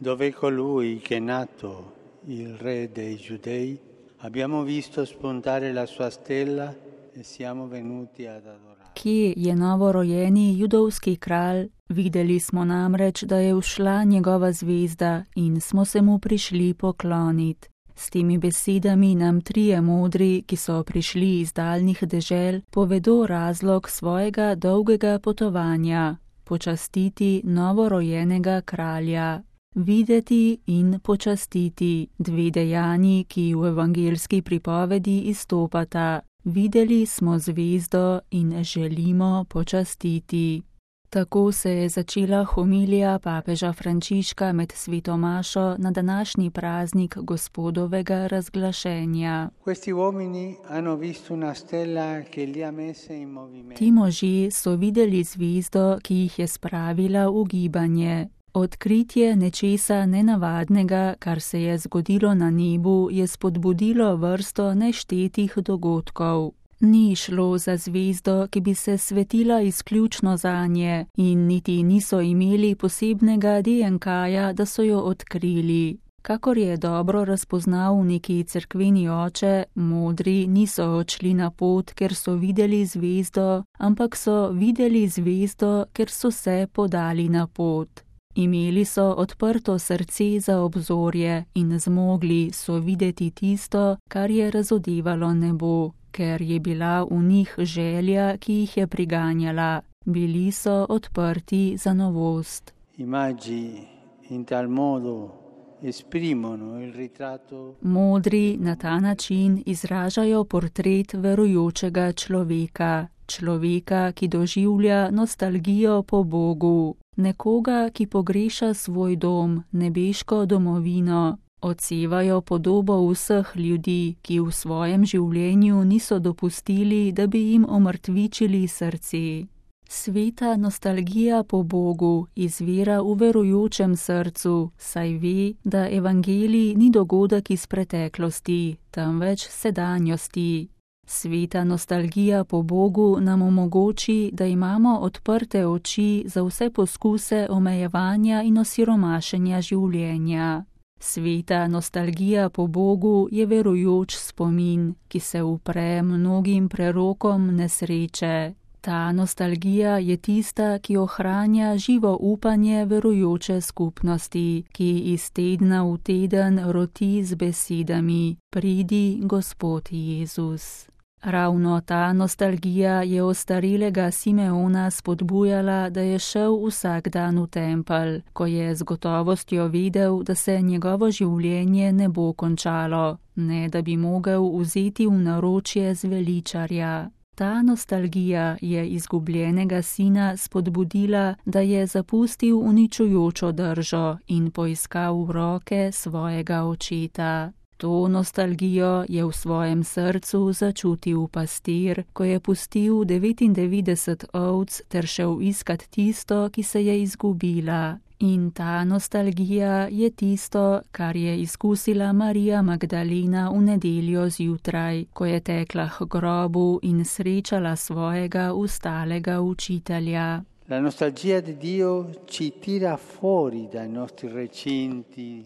Dove colui che è nato il re dei Giudei, abbiamo visto spuntare la sua stella e siamo venuti ad adorare. Kje je novorojeni judovski kralj? Videli smo namreč, da je ušla njegova zvezda in smo se mu prišli pokloniti. S temi besedami nam trije modri, ki so prišli iz daljnih dežel, povedo razlog svojega dolgega potovanja: počastiti novorojenega kralja. Videti in počastiti, dve dejanji, ki v evangeljski pripovedi izstopata. Videli smo zvezdo in želimo počastiti. Tako se je začela homilija papeža Frančiška med sveto mašo na današnji praznik Gospodovega razglašenja. Ti možje so videli zvezdo, ki jih je spravila v gibanje. Odkritje nečesa nenavadnega, kar se je zgodilo na nebu, je spodbudilo vrsto neštetih dogodkov. Ni šlo za zvezdo, ki bi se svetila izključno zanje, in niti niso imeli posebnega DNK-ja, da so jo odkrili. Kakor je dobro razpoznal neki cerkveni oče, modri niso odšli na pot, ker so videli zvezdo, ampak so videli zvezdo, ker so se podali na pot. Imeli so odprto srce za obzorje in zmogli so videti tisto, kar je razodevalo nebo, ker je bila v njih želja, ki jih je priganjala. Bili so odprti za novost. Modri na ta način izražajo portret verujočega človeka. Človeka, ki doživlja nostalgijo po Bogu. Nekoga, ki pogreša svoj dom, nebeško domovino. Odsevajo podobo vseh ljudi, ki v svojem življenju niso dopustili, da bi jim omrtvičili srce. Sveta nostalgija po Bogu izvira v verujočem srcu, saj ve, da evangelij ni dogodek iz preteklosti, temveč sedanjosti. Sveta nostalgija po Bogu nam omogoči, da imamo odprte oči za vse poskuse omejevanja in osiromašenja življenja. Sveta nostalgija po Bogu je verujoč spomin, ki se upre mnogim prerokom nesreče. Ta nostalgija je tista, ki ohranja živo upanje verujoče skupnosti, ki iz tedna v teden roti z besedami: pridi, Gospod Jezus. Ravno ta nostalgija je ostarelega Simeona spodbujala, da je šel vsak dan v tempelj, ko je z gotovostjo vedel, da se njegovo življenje ne bo končalo, ne da bi mogel vzeti v naročje zveličarja. Ta nostalgija je izgubljenega sina spodbudila, da je zapustil uničujočo držo in poiskal roke svojega očeta. To nostalgijo je v svojem srcu začutil pastir, ko je pustil 99 ovc ter šel iskat tisto, ki se je izgubila. In ta nostalgija je tisto, kar je izkusila Marija Magdalena v nedeljo zjutraj, ko je tekla k grobu in srečala svojega ustalega učitelja. La nostalgia di Dio ci tira fuori dai nostri recinti.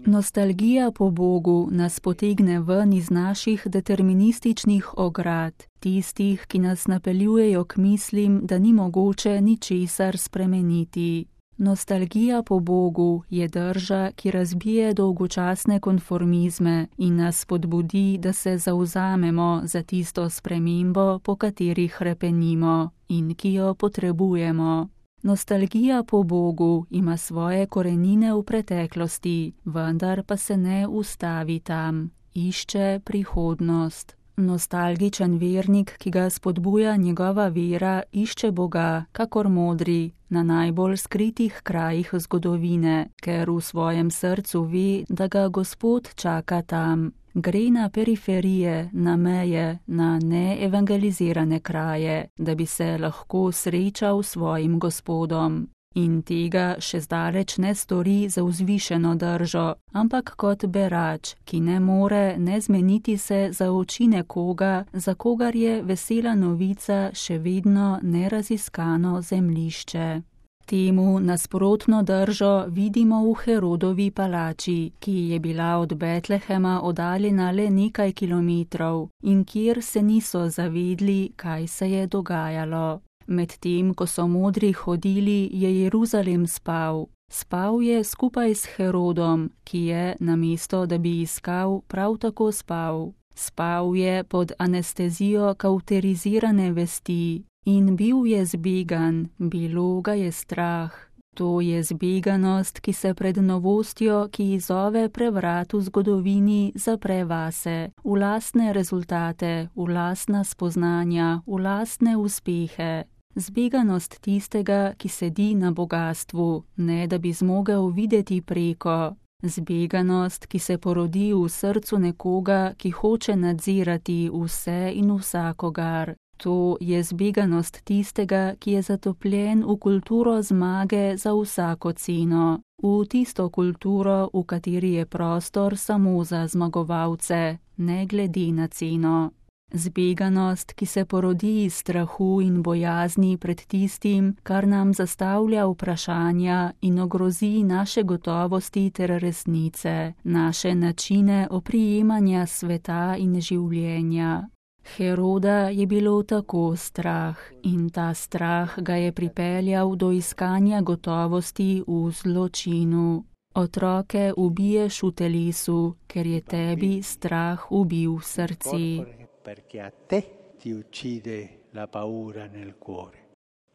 Nostalgija po Bogu nas potegne ven iz naših determinističnih ograd, tistih, ki nas napeljujejo k mislim, da ni mogoče ničesar spremeniti. Nostalgija po Bogu je drža, ki razbije dolgočasne konformizme in nas spodbudi, da se zavzamemo za tisto spremembo, po kateri hrepenimo in ki jo potrebujemo. Nostalgija po Bogu ima svoje korenine v preteklosti, vendar pa se ne ustavi tam, išče prihodnost. Nostalgičen vernik, ki ga spodbuja njegova vera, išče Boga, kakor modri, na najbolj skritih krajih zgodovine, ker v svojem srcu ve, da ga Gospod čaka tam. Gre na periferije, na meje, na neevangelizirane kraje, da bi se lahko srečal s svojim Gospodom. In tega še zdaleč ne stori za vzvišeno držo, ampak kot berač, ki ne more ne zmeniti se za oči nekoga, za kogar je vesela novica še vedno neraziskano zemljišče. Temu nasprotno držo vidimo v Herodovi palači, ki je bila od Betlehema oddaljena le nekaj kilometrov in kjer se niso zavedli, kaj se je dogajalo. Medtem, ko so modri hodili, je Jeruzalem spal. Spal je skupaj s Herodom, ki je, namesto da bi iskal, prav tako spal. Spal je pod anestezijo kavterizirane vesti in bil je zbegan, bilo ga je strah. To je zbeganost, ki se pred novostjo, ki izzove prevrat v zgodovini, zapre vase, v lastne rezultate, v lastna spoznanja, v lastne uspehe. Zbeganost tistega, ki sedi na bogastvu, ne da bi zmogel videti preko. Zbeganost, ki se porodi v srcu nekoga, ki hoče nadzirati vse in vsakogar. To je zbeganost tistega, ki je zatopljen v kulturo zmage za vsako ceno. V tisto kulturo, v kateri je prostor samo za zmagovalce, ne glede na ceno. Zbeganost, ki se porodi iz strahu in bojazni pred tistim, kar nam zastavlja vprašanja in ogrozi naše gotovosti ter resnice, naše načine oprijemanja sveta in življenja. Heroda je bilo tako strah in ta strah ga je pripeljal do iskanja gotovosti v zločinu. Otroke ubiješ v telesu, ker je tebi strah ubil srce. Perché a te ti uccide la paura nel cuore.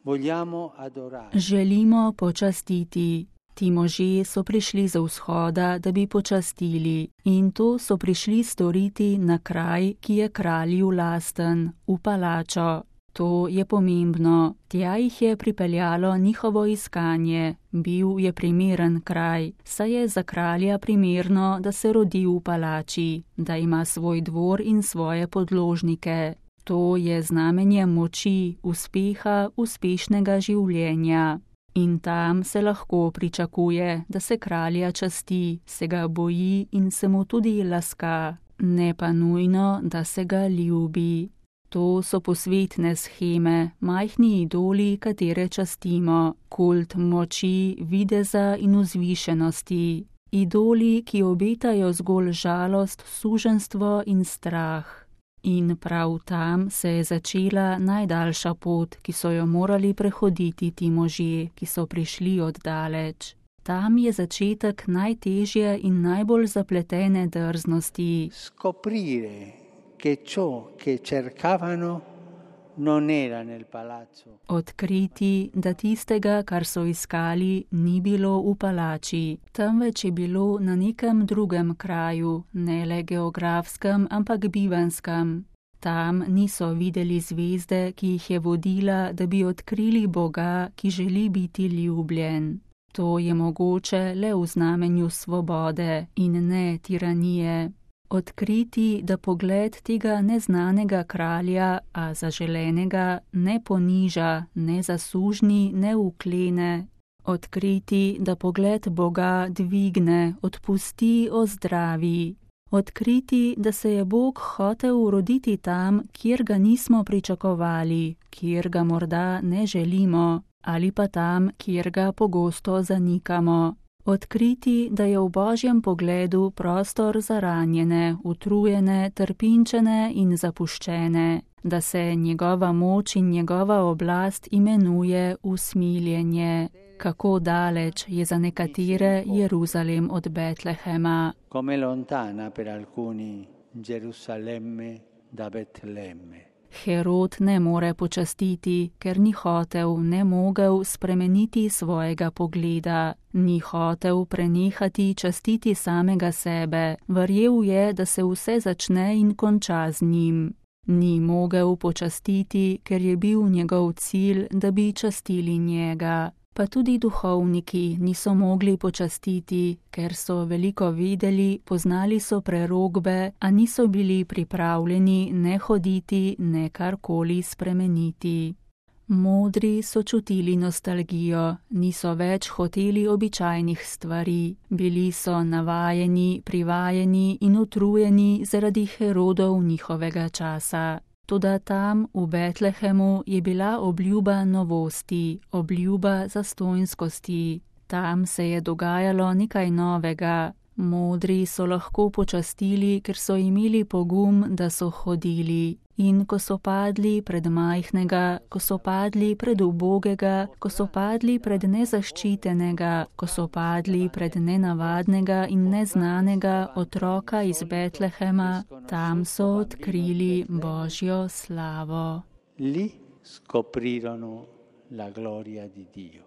Vogliamo adorare. Želimo počastiti. Ti možje so prišli z vzhoda, da bi počastili, in to so prišli storiti na kraj, ki je kralju lasten, v palačo. To je pomembno. Tja jih je pripeljalo njihovo iskanje. Bil je primeren kraj, saj je za kralja primerno, da se rodi v palači, da ima svoj dvor in svoje podložnike. To je znamenje moči, uspeha, uspešnega življenja. In tam se lahko pričakuje, da se kralja časti, se ga boji in se mu tudi laska, ne pa nujno, da se ga ljubi. To so posvetne sheme, majhni idoli, katere častimo, kult moči, videza in vzvišenosti. Idoli, ki obetajo zgolj žalost, suženjstvo in strah. In prav tam se je začela najdaljša pot, ki so jo morali prehoditi ti možje, ki so prišli od daleč. Tam je začetek najtežje in najbolj zapletene drznosti. Scoprire che ciò che cercavano non era nel palazzo. Odkriti, da tistega, kar so iskali, ni bilo v palači, temveč je bilo na nekem drugem kraju, ne le geografskem, ampak bivanskem. Tam niso videli zvezde, ki jih je vodila, da bi odkrili Boga, ki želi biti ljubljen. To je mogoče le v znamenju svobode in ne tiranije. Odkriti, da pogled tega neznanega kralja, a zaželenega, ne poniža, ne zasužni, ne uklene. Odkriti, da pogled Boga dvigne, odpusti, ozdravi. Odkriti, da se je Bog hotel roditi tam, kjer ga nismo pričakovali, kjer ga morda ne želimo, ali pa tam, kjer ga pogosto zanikamo. Odkriti, da je v Božjem pogledu prostor za ranjene, utrujene, trpinčene in zapuščene, da se njegova moč in njegova oblast imenuje usmiljenje. Kako daleč je za nekatere Jeruzalem od Betlehema. Come lontana per alcuni Gerusalemme da Betlemme. Herod ne more počastiti, ker ni hotel, ne mogel spremeniti svojega pogleda, ni hotel prenehati častiti samega sebe, verjel je, da se vse začne in konča z njim. Ni mogel počastiti, ker je bil njegov cilj, da bi častili njega. Pa tudi duhovniki niso mogli počastiti, ker so veliko videli, poznali so prerokbe, a niso bili pripravljeni ne hoditi, ne karkoli spremeniti. Modri so čutili nostalgijo, niso več hoteli običajnih stvari, bili so navajeni, privajeni in utrujeni zaradi Herodov njihovega časa. Toda tam v Betlehemu je bila obljuba novosti, obljuba zastonjskosti. Tam se je dogajalo nekaj novega. Modri so lahko počastili, ker so imeli pogum, da so hodili. In ko so padli pred majhnega, ko so padli pred ubogega, ko so padli pred nezaščitenega, ko so padli pred nenavadnega in neznanega otroka iz Betlehema, tam so odkrili Božjo slavo. Lì scoprirono la gloria di Dio.